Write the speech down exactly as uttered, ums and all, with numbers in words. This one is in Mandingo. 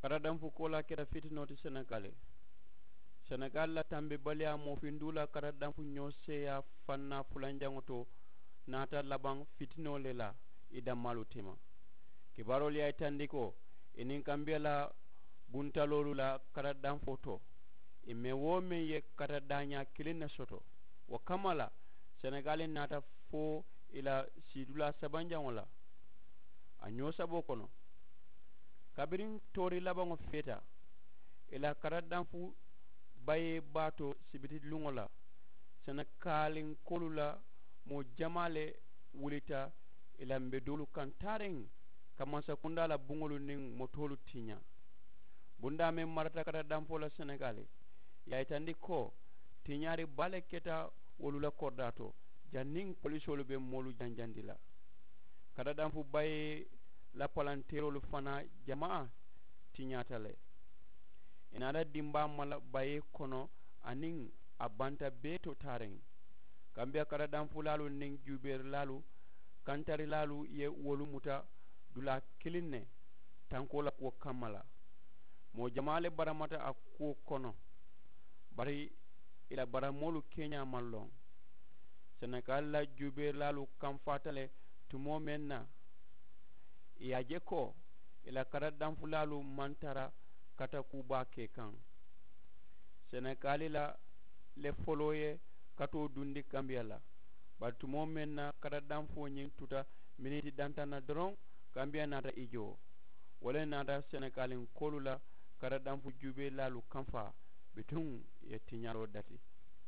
Karadanfu koolaa keta fitinoo ti senegali. Senegali la tambibaliyaa moo finduu la karadanfu ñoo seeyaa fannaa fulanjaŋo to naata labaŋ fitinoo le la. I dammaalu tema kibaaroolu ye a yitandi ko i niŋ kambiya la buntaloolu la karadanfoo to i meŋ wo meŋ ye karadaañaa kiliŋ ne soto. Wo kamma la senegali naata fo i la siidulaa sabanjaŋo la a ñoo saboo kono. Kabiriŋ toori labaŋo feeta i la karadanfu bayee baa to sibiti luŋo la senekalinkoolu la moo jamaa le wulita i la mbedoolu kaŋ taariŋ ka mansakundaa la buŋolu niŋ motoolu tiñaa. Bundaa meŋ marata karadanfoo la senegali i ye a yitandi ko tiñaari baa le keta wolu la koridaa to janniŋ polisoolu be moolu janjandi la. Karadanfu bayee la palanteeroolu fanaa jamaa tiñaata le. I naata dimbaa mala bayee kono aniŋ a banta bee to taariŋ. Kambiya karadanfulaalu niŋ juubeerilaalu kantarilaalu ye wolu muta dulaa kiliŋ ne tankoo la kuwo kamma la. Moo jamaa le baramata a kuwo kono bari i la baramoolu keñaa maŋ loŋ. Senegali la juubeerilaalu kamfaata le tumoo meŋ na i ye a je ko i la karadanfulaalu maŋ tara kata kuu baa ke kaŋ. Senegali la le foloo ye katoo dundi kambiya la bari tumoo meŋ na karadanfoo ñiŋ tuta miniti dantaŋ na doroŋ kambiya naata i joo. Wo le naata senegalinkoolu la karadanfu juubeelaalu kamfaa bituŋ i ye tiñaroo dati.